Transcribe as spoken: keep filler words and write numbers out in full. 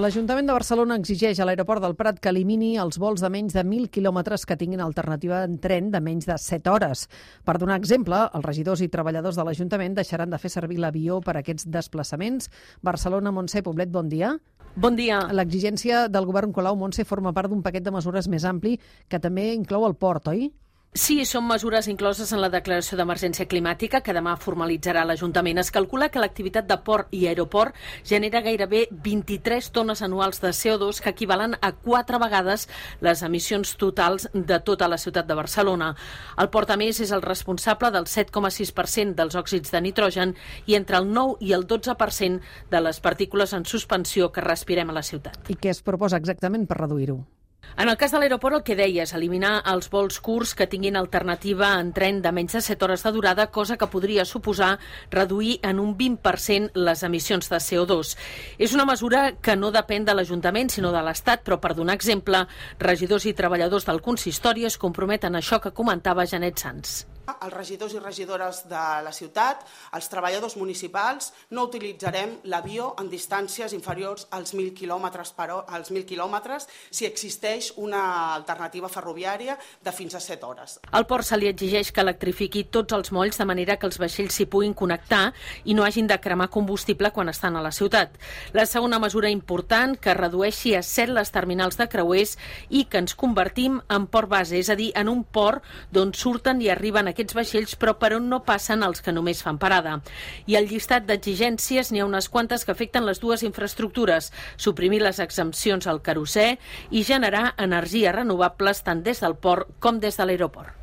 L'Ajuntament de Barcelona exigeix a l'aeroport del Prat que elimini els vols de menys de mil quilòmetres que tinguin alternativa en tren de menys de set hores. Per donar exemple, els regidors i treballadors de l'Ajuntament deixaran de fer servir l'avió per a aquests desplaçaments. Barcelona, Montse Poblet, bon dia. Bon dia. L'exigència del govern Colau, Montse, forma part d'un paquet de mesures més ampli que també inclou el port, oi? Sí, són mesures incloses en la declaració d'emergència climàtica que demà formalitzarà l'Ajuntament. Es calcula que l'activitat de port i aeroport genera gairebé vint-i-tres tones anuals de C O dos que equivalen a quatre vegades les emissions totals de tota la ciutat de Barcelona. El port, a més, és el responsable del set coma sis per cent dels òxids de nitrogen i entre el nou i el dotze per cent de les partícules en suspensió que respirem a la ciutat. I què es proposa exactament per reduir-ho? En el cas de l'aeroport, el que deia és eliminar els vols curts que tinguin alternativa en tren de menys de set hores de durada, cosa que podria suposar reduir en un vint per cent les emissions de C O dos. És una mesura que no depèn de l'Ajuntament, sinó de l'Estat, però per donar exemple, regidors i treballadors del consistori es comprometen a això que comentava Janet Sans. Els regidors i regidores de la ciutat, els treballadors municipals, no utilitzarem l'avió en distàncies inferiors als mil quilòmetres per hora, als mil quilòmetres si existeix una alternativa ferroviària de fins a set hores. Al port se li exigeix que electrifiqui tots els molls de manera que els vaixells s'hi puguin connectar i no hagin de cremar combustible quan estan a la ciutat. La segona mesura important, que redueixi a set les terminals de creuers i que ens convertim en port base, és a dir, en un port d'on surten i arriben aquests aquests vaixells, però per on no passen els que només fan parada. I al llistat d'exigències n'hi ha unes quantes que afecten les dues infraestructures, suprimir les exempcions al querosè i generar energies renovables tant des del port com des de l'aeroport.